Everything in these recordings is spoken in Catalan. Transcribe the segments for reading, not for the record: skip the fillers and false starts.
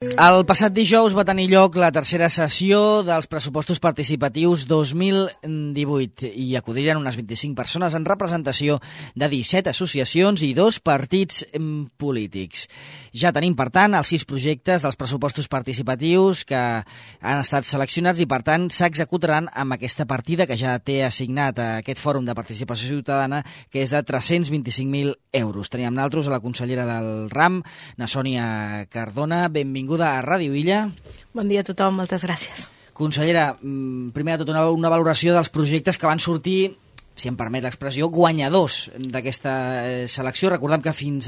El passat dijous va tenir lloc la tercera sessió dels pressupostos participatius 2018 i acudiren unes 25 persones en representació de 17 associacions i 2 partits polítics. Ja tenim, per tant, els 6 projectes dels pressupostos participatius que han estat seleccionats i, per tant, s'executaran amb aquesta partida que ja té assignat a aquest Fòrum de Participació Ciutadana, que és de 325.000 euros. Tenim amb nosaltres a la consellera del RAM, na Sònia Cardona. Benvinguda a Ràdio Illa. Bon dia a tothom, moltes gràcies. Consellera, primer de tot una valoració dels projectes que van sortir, si em permet l'expressió, guanyadors d'aquesta selecció. Recordem que fins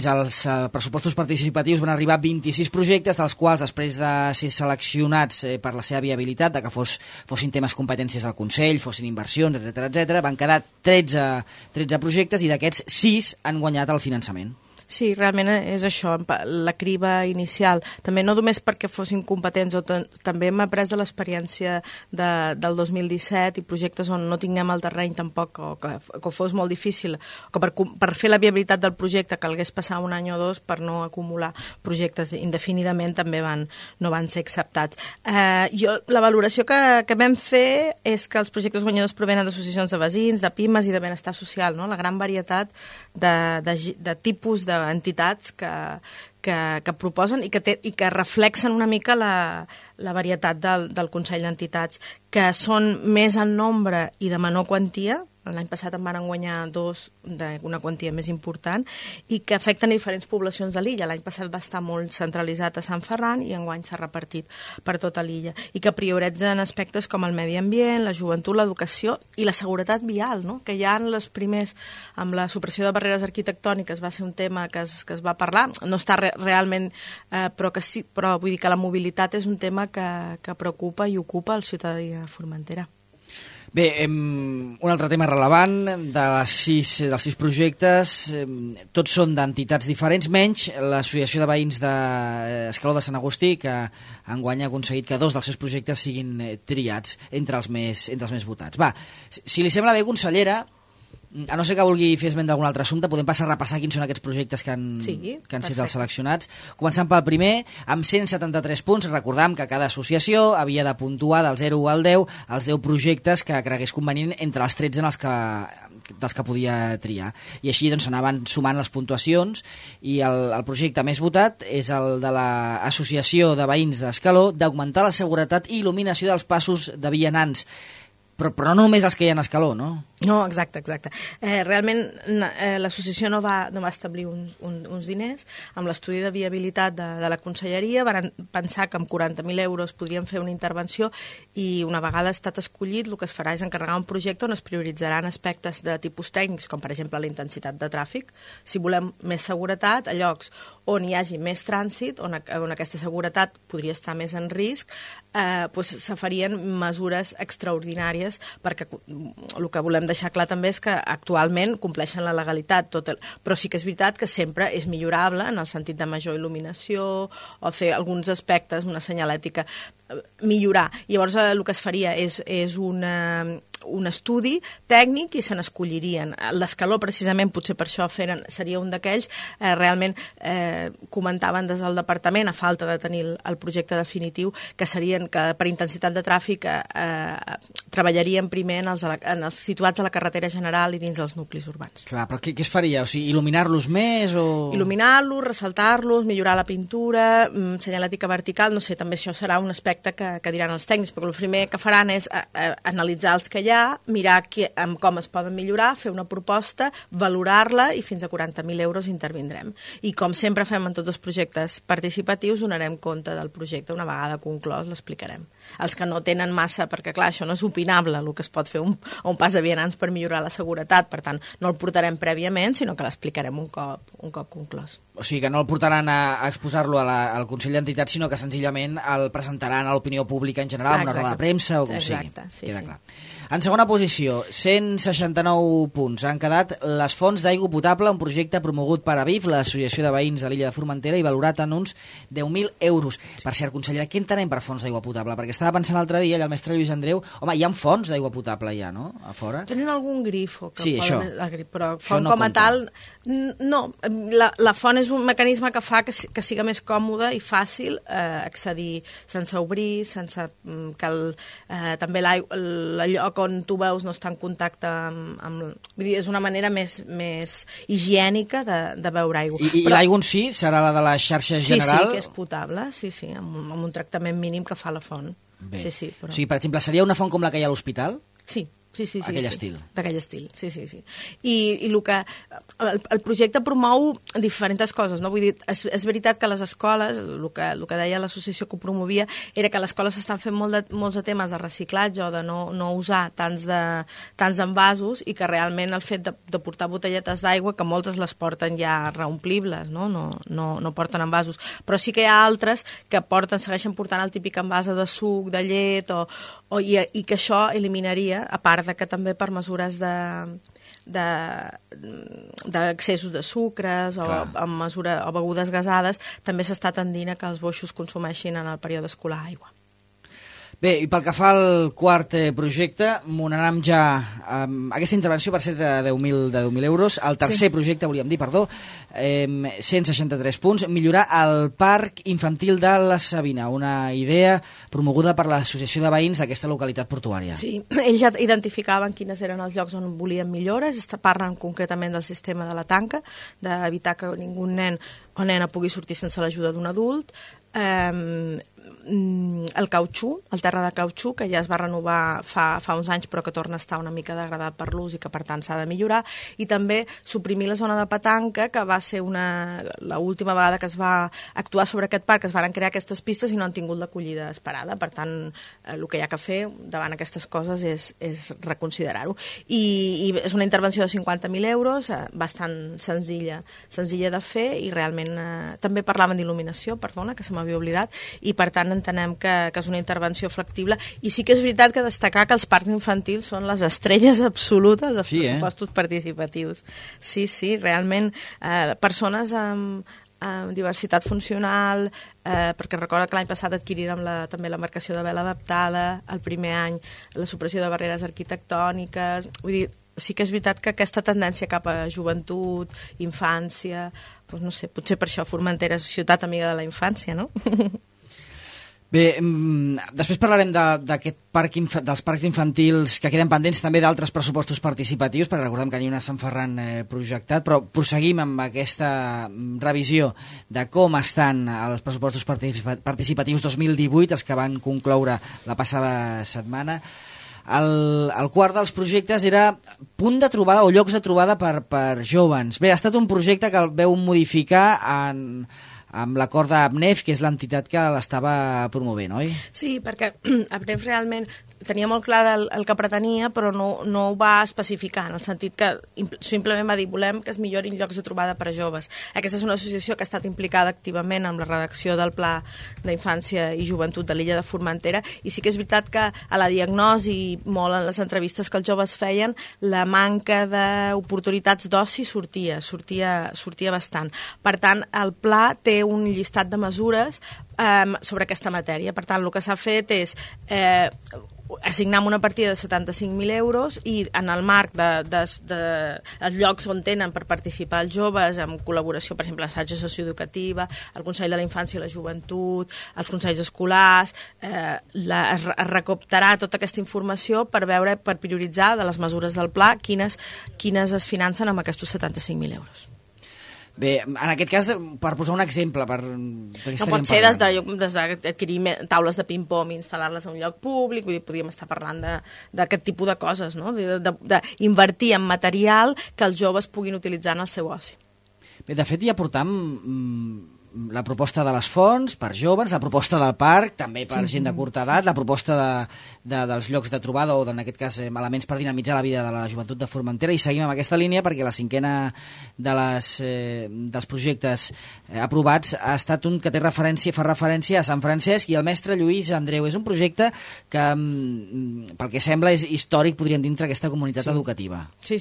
als pressupostos participatius van arribar 26 projectes, dels quals, després de ser seleccionats per la seva viabilitat, de que fossin temes competències del Consell, fossin inversions, etc., van quedar 13 projectes i d'aquests 6 han guanyat el finançament. Sí, realment és això, la criba inicial. També no només perquè fossin competents, també hem après de l'experiència del 2017 i projectes on no tinguem el terreny tampoc, o que fos molt difícil, o que per fer la viabilitat del projecte calgués passar un any o dos per no acumular projectes indefinidament també no van ser acceptats. La valoració que vam fer és que els projectes guanyadors provenen d'associacions de veïns, de pimes i de benestar social, no? La gran varietat de tipus d'entitats que proposen i que reflexen una mica la varietat del Consell d'Entitats, que són més en nombre i de menor quantia. L'any passat en van guanyar 2 d'una quantia més important i que afecten diferents poblacions de l'illa. L'any passat va estar molt centralitzat a Sant Ferran i enguany s'ha repartit per tota l'illa. I que prioritzen aspectes com el medi ambient, la joventut, l'educació i la seguretat vial, no? Que ja en les primers, amb la supressió de barreres arquitectòniques, va ser un tema que es va parlar. No està realment, però vull dir que la mobilitat és un tema que preocupa i ocupa el ciutadà de Formentera. Bé, un altre tema rellevant dels 6 projectes, tots són d'entitats diferents, menys l'Associació de Veïns d'Escaló de Sant Agustí, que enguany ha aconseguit que 2 dels seus projectes siguin triats entre els més votats. Va, si li sembla bé, consellera, a no ser que vulgui fer esment d'algun altre assumpte, podem passar a repassar quins són aquests projectes que han sigut els seleccionats. Començant pel primer, amb 173 punts, recordam que cada associació havia de puntuar del 0 al 10 els 10 projectes que cregués convenient entre els 13 dels que podia triar. I així doncs anaven sumant les puntuacions i el projecte més votat és el de l'Associació de Veïns d'Escaló, d'augmentar la seguretat i il·luminació dels passos de vianants. Però no només els que hi ha en Escaló, no? No, exacte. Realment l'associació no va establir uns diners. Amb l'estudi de viabilitat de la conselleria van pensar que amb 40.000 euros podrien fer una intervenció i una vegada ha estat escollit el que es farà és encarregar un projecte on es prioritzaran aspectes de tipus tècnics, com per exemple la intensitat de tràfic. Si volem més seguretat, a llocs on hi hagi més trànsit, on aquesta seguretat podria estar més en risc, se farien mesures extraordinàries, perquè el que volem deixar clar també és que actualment compleixen la legalitat, però sí que és veritat que sempre és millorable en el sentit de major il·luminació o fer alguns aspectes, una senyalètica, millorar. Llavors el que es faria és un estudi tècnic i se n'escollirien. L'Escaló, precisament, potser per això seria un d'aquells, realment comentaven des del departament, a falta de tenir el projecte definitiu, que serien que per intensitat de tràfic treballarien primer en els situats a la carretera general i dins dels nuclis urbans. Clar, però què es faria? O sigui, il·luminar-los més o...? Il·luminar-los, ressaltar-los, millorar la pintura, senyalètica vertical, no sé, també això serà un aspecte que diran els tècnics, perquè el primer que faran és analitzar els que hi ha, mirar com es poden millorar, fer una proposta, valorar-la i fins a 40.000 euros intervindrem. I com sempre fem en tots els projectes participatius, donarem compte del projecte una vegada conclòs, l'explicarem. Els que no tenen massa, perquè clar, això no és opinable, el que es pot fer un pas de vianants per millorar la seguretat, per tant, no el portarem prèviament, sinó que l'explicarem un cop conclòs. O sigui, que no el portaran a exposar-lo al Consell d'Entitats, sinó que senzillament el presentaran a l'opinió pública en general, una roda de premsa o com sigui. Queda clar. En segona posició, 169 punts. Han quedat les fonts d'aigua potable, un projecte promogut per Aviv, l'Associació de Veïns de l'illa de Formentera, i valorat en uns 10.000 euros. Per cert, consellera, què entenem per fonts d'aigua potable? Perquè estava pensant l'altre dia, allà el mestre Lluís Andreu, home, hi ha fonts d'aigua potable ja, no?, a fora. Tenen algun grifo, sí, això. Però font com a tal, no. La font és un mecanisme que fa que siga més còmode i fàcil accedir sense obrir, sense que també l'allò on tu veus no està en contacte amb... Vull dir, és una manera més higiènica de beure aigua. I l'aigua en si serà la de la xarxa general? Sí, que és potable, sí, amb un tractament mínim que fa la font. Bé. Sí, però... O sigui, per exemple, seria una font com la que hi ha a l'hospital? Sí. Aquell estil. D'aquell estil, sí. I el projecte promou diferents coses, no? Vull dir, és veritat que les escoles, el que deia l'associació que ho promovia, era que les escoles estan fent molts de temes de reciclatge o de no usar tants d'envasos i que realment el fet de portar botelletes d'aigua, que moltes les porten ja reomplibles, no porten envasos, però sí que hi ha altres que segueixen portant el típic envàs de suc, de llet, i que això eliminaria, a part de que també per mesures d'accessos de sucres o begudes gasades, també s'està tendint a que els boixos consumeixin en el període escolar aigua. Bé, i pel que fa al quart projecte, m'onarem ja aquesta intervenció per ser de 10.000 euros. El tercer projecte, volíem dir, 163 punts, millorar el parc infantil de la Sabina, una idea promoguda per l'Associació de Veïns d'aquesta localitat portuària. Sí, ells ja identificaven quines eren els llocs on volien millores, parlen concretament del sistema de la tanca, d'evitar que ningú nen o nena pugui sortir sense l'ajuda d'un adult, el cautxú, el terra de cautxú, que ja es va renovar fa uns anys però que torna a estar una mica degradat per l'ús i que per tant s'ha de millorar, i també suprimir la zona de petanca, que va ser l'última vegada que es va actuar sobre aquest parc, es van crear aquestes pistes i no han tingut l'acollida esperada. Per tant, el que hi ha que fer davant aquestes coses és reconsiderar-ho. I és una intervenció de 50.000 euros, bastant senzilla de fer, i realment també parlaven d'il·luminació, perdona, que se m'havia oblidat, i per tant entenem que és una intervenció factible, i sí que és veritat que destacar que els parcs infantils són les estrelles absolutes dels pressupostos participatius. Sí, realment, persones amb diversitat funcional, perquè recorda que l'any passat adquirirem també l'embarcació de vela adaptada, el primer any la supressió de barreres arquitectòniques, vull dir, sí que és veritat que aquesta tendència cap a joventut, infància, doncs no sé, potser per això Formentera és ciutat amiga de la infància, no? Bé, després parlarem d'aquest dels parcs infantils que queden pendents, també d'altres pressupostos participatius, perquè recordem que n'hi ha una a Sant Ferran projectat, però proseguim amb aquesta revisió de com estan els pressupostos participatius 2018, els que van concloure la passada setmana. El quart dels projectes era punt de trobada o llocs de trobada per jóvens. Bé, ha estat un projecte que el veu modificar amb l'acord d'ABNEF, que és l'entitat que l'estava promovent, oi? Sí, perquè ABNEF realment tenia molt clar el que pretenia, però no ho va especificar, en el sentit que simplement va dir volem que es millorin llocs de trobada per a joves. Aquesta és una associació que ha estat implicada activament amb la redacció del Pla d'Infància i Joventut de l'illa de Formentera, i sí que és veritat que a la diagnosi, molt en les entrevistes que els joves feien, la manca d'oportunitats d'oci sortia bastant. Per tant, el pla té un llistat de mesures sobre aquesta matèria. Per tant, el que s'ha fet és assignar una partida de 75.000 euros i en el marc dels llocs on tenen per participar els joves, en col·laboració, per exemple, l'assaig socioeducativa, el Consell de la Infància i la Joventut, els consells escolars, es recaptarà tota aquesta informació per prioritzar de les mesures del pla quines es financen amb aquests 75.000 euros. Bé, en aquest cas, per posar un exemple... No pot ser des d'adquirir taules de ping-pong i instal·lar-les a un lloc públic, vull dir, podríem estar parlant d'aquest tipus de coses, no? D'invertir en material que els joves puguin utilitzar en el seu oci. Bé, de fet, ja portam la proposta de les fonts per joves, la proposta del parc, també per gent de curta edat, la proposta dels llocs de trobada o, en aquest cas, elements per dinamitzar la vida de la joventut de Formentera, i seguim amb aquesta línia perquè la cinquena dels projectes aprovats ha estat un que fa referència a Sant Francesc i el mestre Lluís Andreu. És un projecte que, pel que sembla, és històric, podríem dir, entre aquesta comunitat educativa. Sí.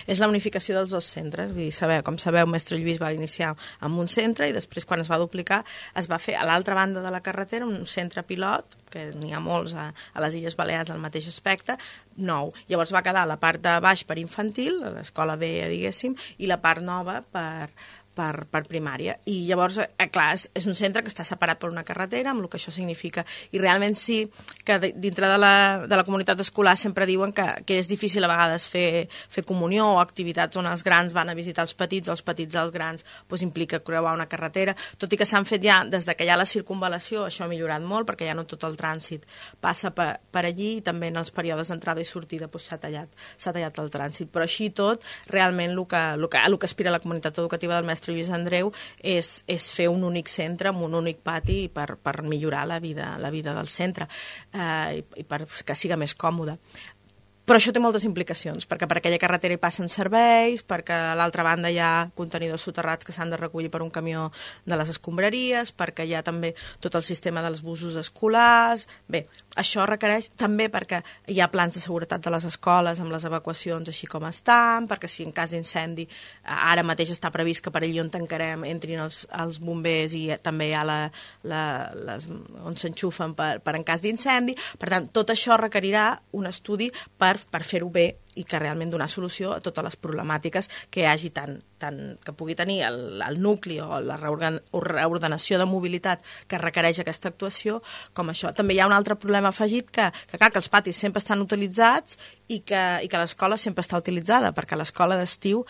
És la unificació dels dos centres. Vull dir, com sabeu, mestre Lluís va iniciar amb un centre i després, quan es va duplicar, es va fer a l'altra banda de la carretera un centre pilot, que n'hi ha molts a les Illes Balears del mateix aspecte, nou. Llavors va quedar la part de baix per infantil, l'escola vella, diguéssim, i la part nova per per primària. I llavors, clar, és un centre que està separat per una carretera, amb el que això significa. I realment sí que dintre de la comunitat escolar sempre diuen que és difícil a vegades fer comunió o activitats on els grans van a visitar els petits o els petits als grans, doncs implica creuar una carretera, tot i que s'han fet ja, des que hi ha la circunvalació, això ha millorat molt, perquè ja no tot el trànsit passa per allí, i també en els períodes d'entrada i sortida s'ha tallat el trànsit. Però així tot, realment el que aspira la comunitat educativa del mestre Lluís Andreu és fer un únic centre amb un únic pati per millorar la vida del centre i per que siga més còmode. Però això té moltes implicacions, perquè per aquella carretera hi passen serveis, perquè a l'altra banda hi ha contenidors soterrats que s'han de recollir per un camió de les escombraries, perquè hi ha també tot el sistema dels busos escolars. Bé, això requereix també perquè hi ha plans de seguretat de les escoles amb les evacuacions així com estan, perquè si en cas d'incendi ara mateix està previst que per allí on tancarem entrin els bombers i també hi ha on s'enxufen per en cas d'incendi. Per tant, tot això requerirà un estudi per fer-ho bé i que realment donar solució a totes les problemàtiques que hi hagi tant que pugui tenir el nucli o la reordenació de mobilitat que requereix aquesta actuació, com això. També hi ha un altre problema afegit que els patis sempre estan utilitzats i que l'escola sempre està utilitzada, perquè l'escola d'estiu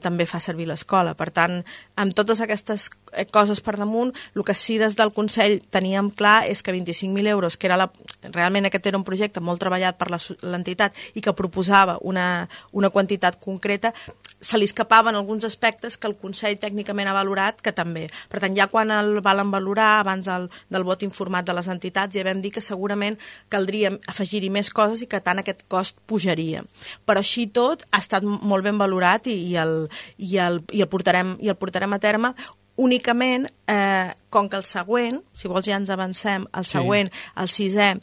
també fa servir l'escola. Per tant, amb totes aquestes coses per damunt, el que sí des del Consell teníem clar és que 25.000 euros, que realment aquest era un projecte molt treballat per l'entitat i que proposava una quantitat concreta, se li escapaven alguns aspectes que el Consell tècnicament ha valorat que també. Per tant, ja quan el valen valorar, abans del vot informat de les entitats, ja vam dir que segurament caldria afegir-hi més coses i que tant aquest cost pujaria. Però així tot ha estat molt ben valorat i el portarem a terme. Únicament, com que el següent, si vols ja ens avancem, el següent, el 6è,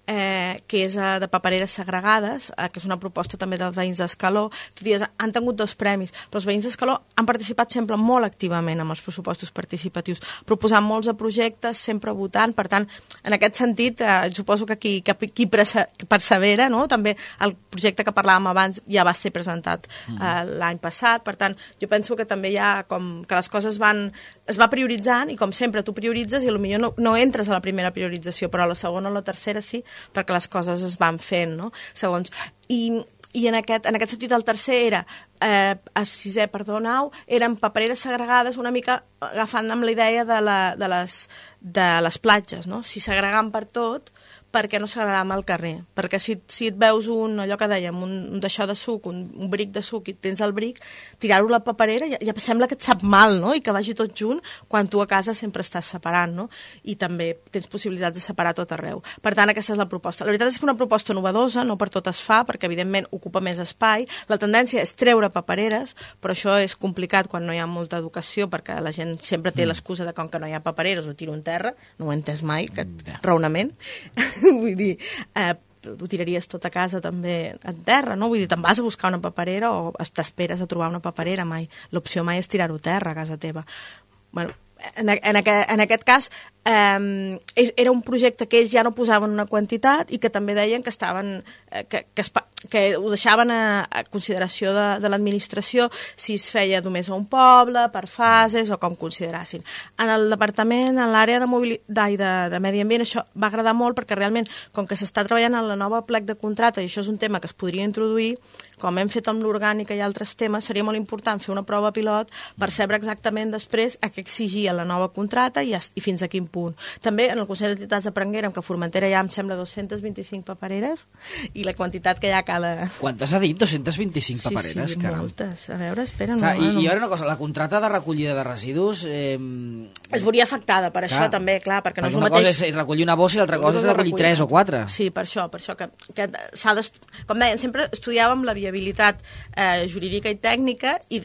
que és de papereres segregades, que és una proposta també dels veïns d'Escaló. Tu dius, han tingut 2 premis, però els veïns d'Escaló han participat sempre molt activament amb els pressupostos participatius, proposant molts de projectes, sempre votant. Per tant, en aquest sentit, suposo que qui persevera, no? També el projecte que parlàvem abans ja va ser presentat l'any passat. Per tant, jo penso que també hi ha com que les coses es va prioritzant, i com sempre tu prioritzes i potser no entres a la primera priorització, però a la segona o la tercera sí, perquè les coses es van fent, no? Segons. I en aquest sentit el tercer era, el 6è, perdó, 9, eren papereres segregades una mica agafant amb la idea de les platges, no? Si segregant per tot, per què no segregar al carrer? Perquè si et veus allò que dèiem, un d'això de suc, un bric de suc, i tens el bric, tirar-ho a la paperera ja sembla que et sap mal, no? I que vagi tot junt, quan tu a casa sempre estàs separant, no? I també tens possibilitats de separar tot arreu. Per tant, aquesta és la proposta. La veritat és que una proposta novedosa, no per tot es fa, perquè evidentment ocupa més espai. La tendència és treure papereres, però això és complicat quan no hi ha molta educació, perquè la gent sempre té l'excusa de com que no hi ha papereres, ho tiro en terra, no ho he entès mai, aquest raonament. Vull dir, ho tiraries tot a casa també en terra, no? Vull dir, te'n vas a buscar una paperera o t'esperes a trobar una paperera, mai. L'opció mai és tirar-ho a terra a casa teva. Bueno, en aquest cas era un projecte que ells ja no posaven una quantitat i que també deien que estaven que ho deixaven a consideració de l'administració si es feia només a un poble, per fases o com considerassin. En el departament, en l'àrea de mobilitat i de medi ambient, això va agradar molt perquè realment, com que s'està treballant en la nova plec de contracte, i això és un tema que es podria introduir, com hem fet amb l'orgànica i altres temes, seria molt important fer una prova pilot per saber exactament després a què exigia la nova contracta i fins a quin punt. També en el Consell d'Entitats de Prenguera, que a Formentera hi ha, em sembla, 225 papereres, i la quantitat que hi ha a cada... Quantes ha dit? 225 papereres? Sí, caram. Moltes. A veure, espera... Clar, i ara una cosa, la contracta de recollida de residus... Es veuria afectada per això també, clar, perquè no és el mateix... Una cosa és recollir una bossa i l'altra cosa és recollir 3 o 4. Sí, per això que s'ha com deien, sempre estudiàvem la viabilitat jurídica i tècnica i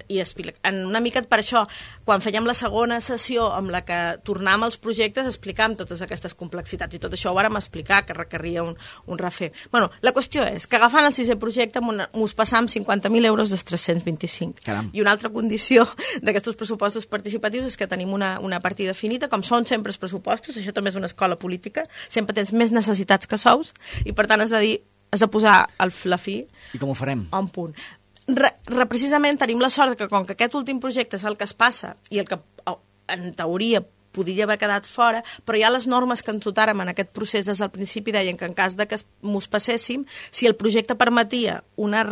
una mica per això, quan fèiem la segona sessió amb la que tornàvem als projectes, explicàvem totes aquestes complexitats i tot això ho vàrem explicar, que requeria un refer. Bueno, la qüestió és que agafant el 6è projecte mos passam 50.000 euros dels 325. Caram. I una altra condició d'aquests pressupostos participatius és que tenim una partida finita, com són sempre els pressupostos, això també és una escola política, sempre tens més necessitats que sous, i per tant has de posar la fi... I com ho farem? A un punt. precisament tenim la sort que com que aquest últim projecte és el que es passa i el que en teoria podria haver quedat fora, però ja les normes que ens dotàrem en aquest procés des del principi deien que en cas de que mos passéssim, si el projecte permetia una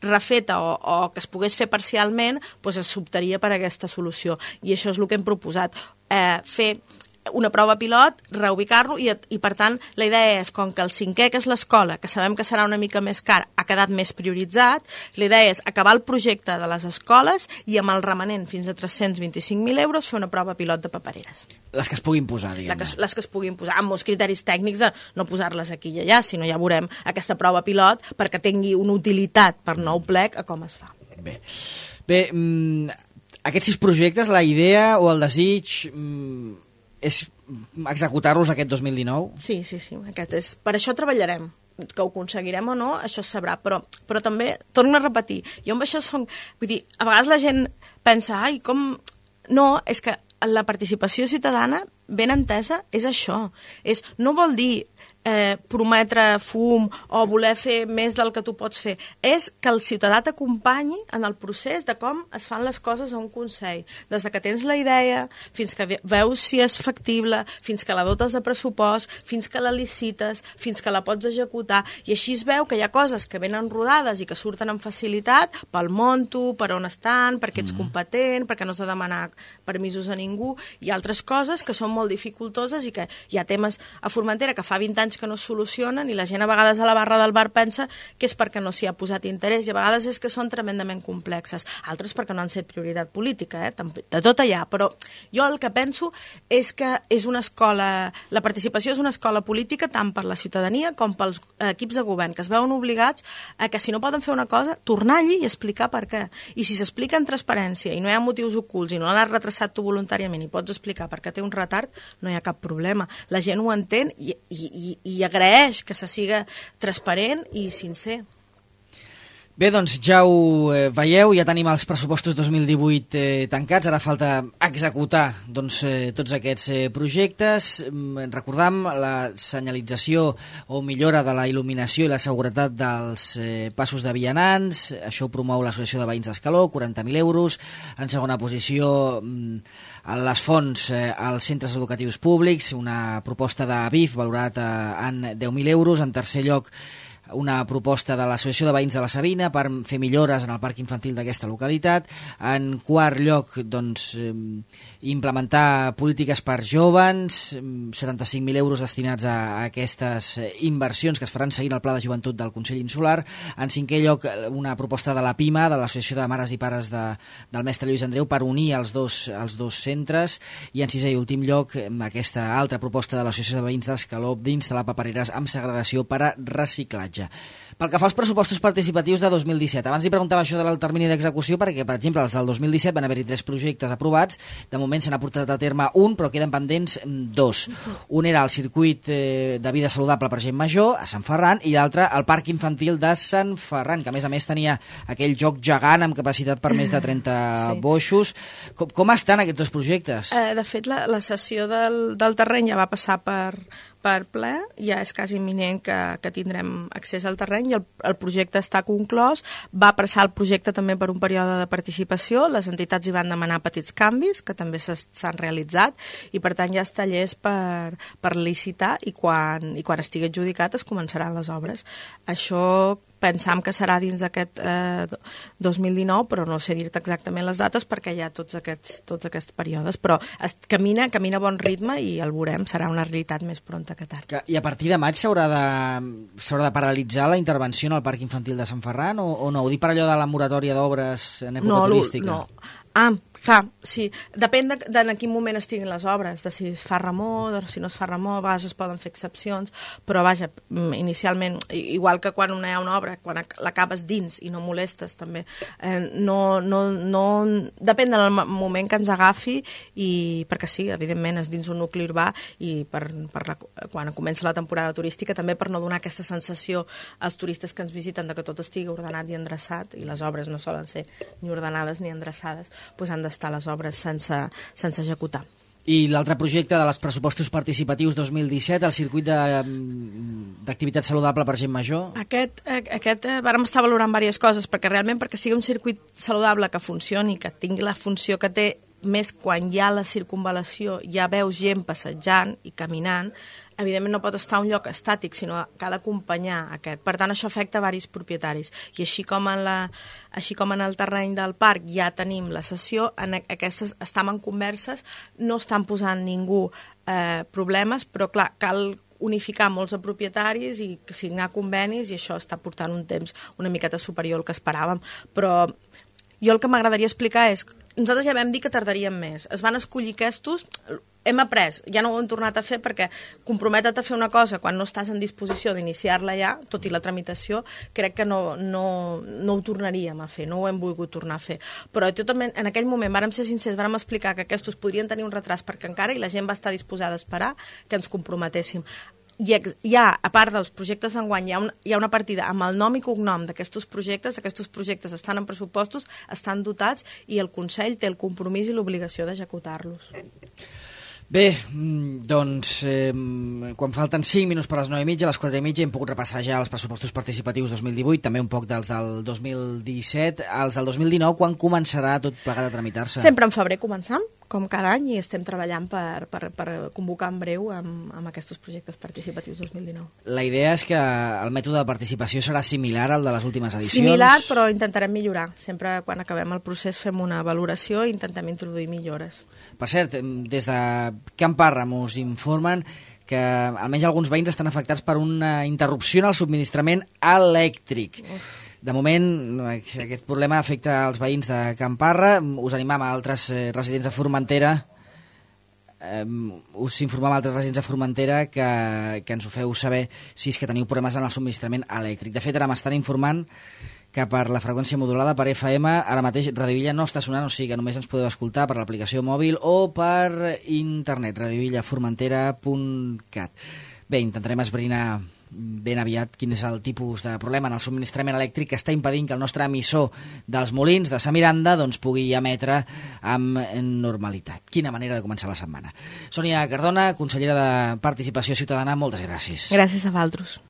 refeta o que es pogués fer parcialment, doncs s'optaria per aquesta solució. I això és el que hem proposat, fer una prova pilot, reubicar-lo i per tant la idea és, com que el 5è, que és l'escola, que sabem que serà una mica més car, ha quedat més prioritzat, la idea és acabar el projecte de les escoles i amb el remanent fins a 325.000 euros fer una prova pilot de papereres. Les que es puguin posar, diguem-ne. Les que es puguin posar, amb molts criteris tècnics de no posar-les aquí i allà, sinó ja veurem aquesta prova pilot perquè tingui una utilitat per nou plec a com es fa. Bé, aquests 6 projectes, la idea o el desig és executar-los aquest 2019? Sí, aquest és. Per això treballarem. Que ho aconseguirem o no, això es sabrà, però també, torno a repetir, jo amb això vull dir, a vegades la gent pensa, ai, com... No, és que la participació ciutadana, ben entesa, és això. No vol dir prometre fum o voler fer més del que tu pots fer. És que el ciutadà t'acompanyi en el procés de com es fan les coses a un consell. Des que tens la idea, fins que veus si és factible, fins que la dotes de pressupost, fins que la licites, fins que la pots executar. I així es veu que hi ha coses que venen rodades i que surten amb facilitat pel monto, per on estan, perquè ets competent, perquè no has de demanar permisos a ningú, i altres coses que són molt dificultoses i que hi ha temes a Formentera que fa 20 anys que no es solucionen i la gent a vegades a la barra del bar pensa que és perquè no s'hi ha posat interès i a vegades és que són tremendament complexes, altres perquè no han set prioritat política, de tot allà, però jo el que penso és que és una escola, la participació és una escola política tant per la ciutadania com pels equips de govern, que es veuen obligats a que si no poden fer una cosa, tornar allí i explicar per què. I si s'explica en transparència i no hi ha motius ocults i no l'has retrasat tu voluntàriament i pots explicar per què té un retard, no hi ha cap problema. La gent ho entén i agraeix que se siga transparent i sincer. Bé, doncs ja ho veieu, ja tenim els pressupostos 2018 tancats, ara falta executar tots aquests projectes. Recordam la senyalització o millora de la il·luminació i la seguretat dels passos de vianants, això ho promou l'Associació de Veïns d'Escaló, 40.000 euros. En segona posició, les fonts als centres educatius públics, una proposta de BIF valorat en 10.000 euros. En tercer lloc, una proposta de l'Associació de Veïns de la Sabina per fer millores en el parc infantil d'aquesta localitat. En quart lloc, implementar polítiques per jóvens, 75.000 euros destinats a aquestes inversions que es faran seguint el Pla de Joventut del Consell Insular. En cinquè lloc, una proposta de la PIMA, de l'Associació de Mares i Pares del Mestre Lluís Andreu, per unir els dos centres. I en sisè i últim lloc, aquesta altra proposta de l'Associació de Veïns d'Escaló d'instal·lar papereres amb segregació per a reciclatge. Pel que fa als pressupostos participatius de 2017, abans li preguntava això del termini d'execució perquè, per exemple, els del 2017 van haver-hi 3 projectes aprovats, de moment se n'ha portat a terme un, però queden pendents 2. Un era el circuit de vida saludable per gent major a Sant Ferran i l'altre el parc infantil de Sant Ferran, que a més tenia aquell joc gegant amb capacitat per més de 30 boixos. Com estan aquests 2 projectes? De fet, la cessió del terreny ja va passar per ple, ja és quasi imminent que tindrem accés al terreny i el projecte està conclòs. Va passar el projecte també per un període de participació, les entitats hi van demanar petits canvis que també s'han realitzat i per tant ja està llest per licitar i quan estigui adjudicat es començaran les obres. Això pensam que serà dins d'aquest 2019, però no sé dir-te exactament les dates perquè hi ha tots aquests períodes, però camina a bon ritme i el veurem, serà una realitat més pronta que tard. I a partir de maig s'haurà de paralitzar la intervenció en el Parc Infantil de Sant Ferran o no? Ho dic per allò de la moratòria d'obres en època turística? No. Clar, sí. Depèn de en quin moment estiguin les obres, de si es fa remor, de si no es fa remor, a vegades es poden fer excepcions, però vaja, inicialment, igual que quan hi ha una obra, quan l'acabes dins i no molestes també, depèn del moment que ens agafi perquè sí, evidentment és dins un nucli urbà i quan comença la temporada turística també per no donar aquesta sensació als turistes que ens visiten de que tot estigui ordenat i endreçat i les obres no solen ser ni ordenades ni endreçades, doncs han d'estar les obres sense executar. I l'altre projecte de les pressupostos participatius 2017, el circuit d'activitat saludable per gent major? Aquest vàrem estar valorant diverses coses, perquè realment perquè sigui un circuit saludable que funcioni, que tingui la funció que té, més quan hi ha la circunvalació, ja veus gent passejant i caminant, evidentment no pot estar a un lloc estàtic, sinó que ha d'acompanyar aquest. Per tant, això afecta a diversos propietaris. I així com en el terreny del parc ja tenim la sessió, en aquestes estem en converses, no estan posant ningú problemes, però clar, cal unificar molts de propietaris i signar convenis, i això està portant un temps una miqueta superior al que esperàvem. Però jo el que m'agradaria explicar és nosaltres ja vam dir que tardaríem més. Es van escollir aquests, hem après, ja no ho hem tornat a fer perquè comprometre't a fer una cosa quan no estàs en disposició d'iniciar-la ja, tot i la tramitació, crec que no ho tornaríem a fer, no ho hem volgut tornar a fer. Però totalment, en aquell moment vàrem ser sincers, vàrem explicar que aquests podrien tenir un retras perquè encara i la gent va estar disposada a esperar que ens comprometéssim. Hi ha, a part dels projectes d'enguany, hi ha una partida amb el nom i cognom d'aquests projectes estan en pressupostos, estan dotats i el Consell té el compromís i l'obligació d'executar-los. Bé, doncs, quan falten 5 minuts per les 9:30, a les 4:30 hem pogut repassar ja els pressupostos participatius 2018, també un poc dels del 2017. Els del 2019, quan començarà tot plegat a tramitar-se? Sempre en febrer començam, com cada any, i estem treballant per convocar en breu amb aquests projectes participatius 2019. La idea és que el mètode de participació serà similar al de les últimes edicions? Similar, però intentarem millorar. Sempre quan acabem el procés fem una valoració i intentem introduir millores. Per cert, des de Can Parra mos informen que almenys alguns veïns estan afectats per una interrupció en el subministrament elèctric. De moment, aquest problema afecta els veïns de Can Parra. Us animam a altres residents de Formentera que ens ho feu saber si és que teniu problemes en el subministrament elèctric. De fet, ara m'estan informant que per la freqüència modulada per FM, ara mateix Radio Villa no està sonant, o sigui que només ens podeu escoltar per l'aplicació mòbil o per internet, radiovillaformentera.cat. Bé, intentarem esbrinar ben aviat quin és el tipus de problema en el subministrament elèctric que està impedint que el nostre emissor dels Molins de Sa Miranda doncs, pugui emetre amb normalitat. Quina manera de començar la setmana. Sònia Cardona, consellera de Participació Ciutadana, moltes gràcies. Gràcies a vosaltres.